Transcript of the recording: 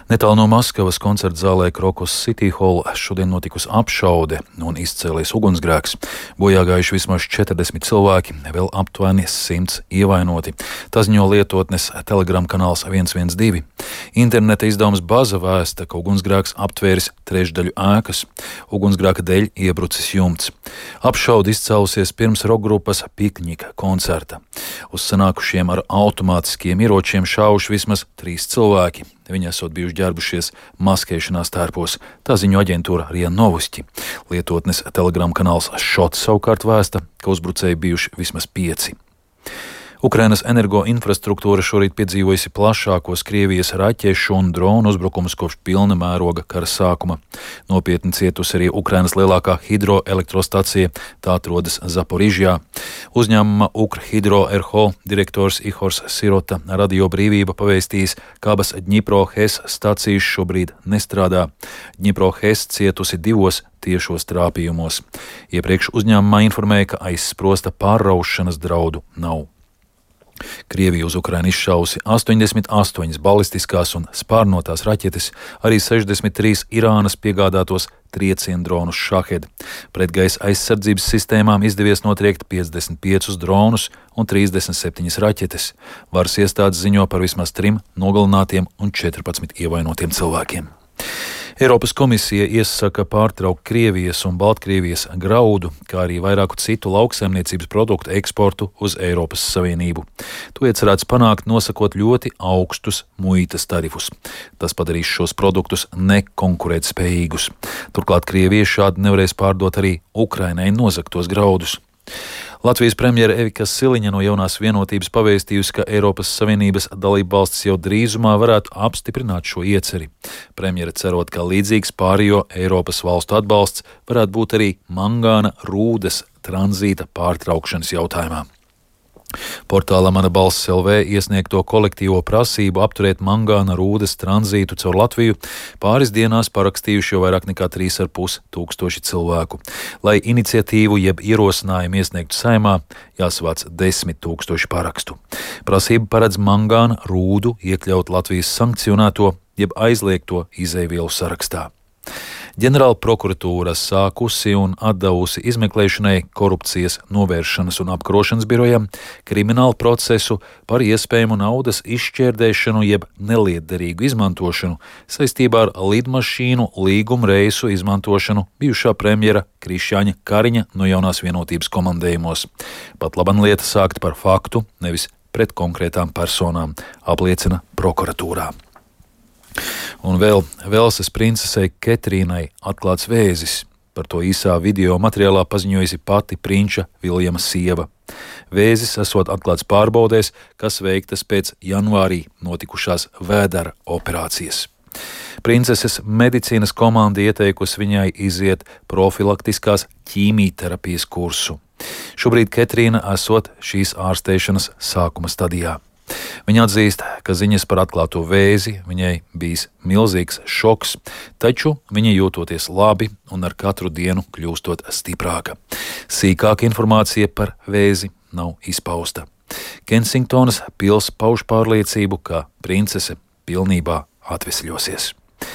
Netālu no Maskavas koncerta zālē Krokus City Hall šodien notikusi apšaude un izcēlies ugunsgrēks. Bojā gājuši vismaz 40 cilvēki, vēl aptuveni 100 ievainoti. Tā ziņo lietotnes Telegram kanāls 112. Interneta izdevums Baza vēsta, ka ugunsgrēks aptvēris trešdaļu ēkas. Ugunsgrēka dēļ iebrucis jumts. Apšaude izcēlusies pirms rokgrupas Pikņika koncerta. Uz sanākušiem ar automātiskiem ieročiem šāvuši vismaz 3 cilvēki. Viņi esot bijuši ģērbušies maskēšanās tērpos, tā ziņo aģentūra RIA Novosti. Lietotnes Telegram kanāls Šots savukārt vēsta, ka uzbrucēji bijuši vismaz 5. Ukrainas energoinfrastruktūra šorīt piedzīvojusi plašākos Krievijas raķešu un dronu uzbrukumus kopš pilna mēroga kara sākuma. Nopietni cietusi arī Ukrainas lielākā hidroelektrostacija, tā atrodas Zaporižjā. Uzņēmuma Ukrhidroerho direktors Ihors Sirota Radio Brīvība pavēstījis, ka abas Dņipro-Hes stacijas šobrīd nestrādā. Dņipro-Hes cietusi 2 tiešos trāpījumos. Iepriekš uzņēmumā informēja, ka aizsprosta pārraušanas draudu nav. Krievija uz Ukrainu izšausi 88 balistiskās un spārnotās raķetes, arī 63 Irānas piegādātos triecienu dronus Šahed. Pretgaisa aizsardzības sistēmām izdevies notriekt 55 dronus un 37 raķetes. Varas iestādes ziņo par vismaz 3 nogalinātiem un 14 ievainotiem cilvēkiem. Eiropas komisija iesaka pārtraukt Krievijas un Baltkrievijas graudu, kā arī vairāku citu lauksaimniecības produktu eksportu uz Eiropas Savienību. To iecerēts panākt, nosakot ļoti augstus muitas tarifus. Tas padarīs šos produktus nekonkurētspējīgus. Turklāt Krievija šādi nevarēs pārdot arī Ukrainai nozagtos graudus. Latvijas premjere Evika Siliņa no Jaunās vienotības pavēstījusi, ka Eiropas Savienības dalībvalstis jau drīzumā varētu apstiprināt šo ieceri. Premjere cerot, ka līdzīgs pārējo Eiropas valstu atbalsts varētu būt arī mangāna rūdas tranzīta pārtraukšanas jautājumā. Portālā Mana balss LV iesniegto kolektīvo prasību apturēt mangāna rūdas tranzītu caur Latviju pāris dienās parakstījuši jau vairāk nekā 3,5 tūkstoši cilvēku. Lai iniciatīvu jeb ierosinājumu iesniegtu Saeimā, jāsavāc 10 000 parakstu. Prasība paredz mangāna rūdu iekļaut Latvijas sankcionēto jeb aizliegto izēvielu sarakstā. Ģenerāla prokuratūra sākusi un atdevusi izmeklēšanai Korupcijas novēršanas un apkarošanas birojam kriminālu procesu par iespējamu naudas izšķērdēšanu jeb nelietderīgu izmantošanu saistībā ar lidmašīnu līguma reisu izmantošanu bijušā premjera Krišjāņa Kariņa no Jaunās vienotības komandējumos. Pat laban lieta sākta par faktu, nevis pret konkrētām personām, apliecina prokuratūrā. Un vēl Velsas princesei Ketrīnai atklāts vēzis. Par to īsā video materiālā paziņojusi pati prinča Viljama sieva. Vēzis esot atklāts pārbaudēs, kas veiktas pēc janvārī notikušās vēdera operācijas. Princeses medicīnas komanda ieteikusi viņai iziet profilaktiskās ķīmijterapijas kursu. Šobrīd Ketrīna esot šīs ārstēšanas sākuma stadijā. Viņa atzīst, ka ziņas par atklāto vēzi viņai bijis milzīgs šoks, taču viņa jūtoties labi un ar katru dienu kļūstot stiprāka. Sīkāka informācija par vēzi nav izpausta. Kensingtonas pils pauž pārliecību, ka princese pilnībā atvesļosies.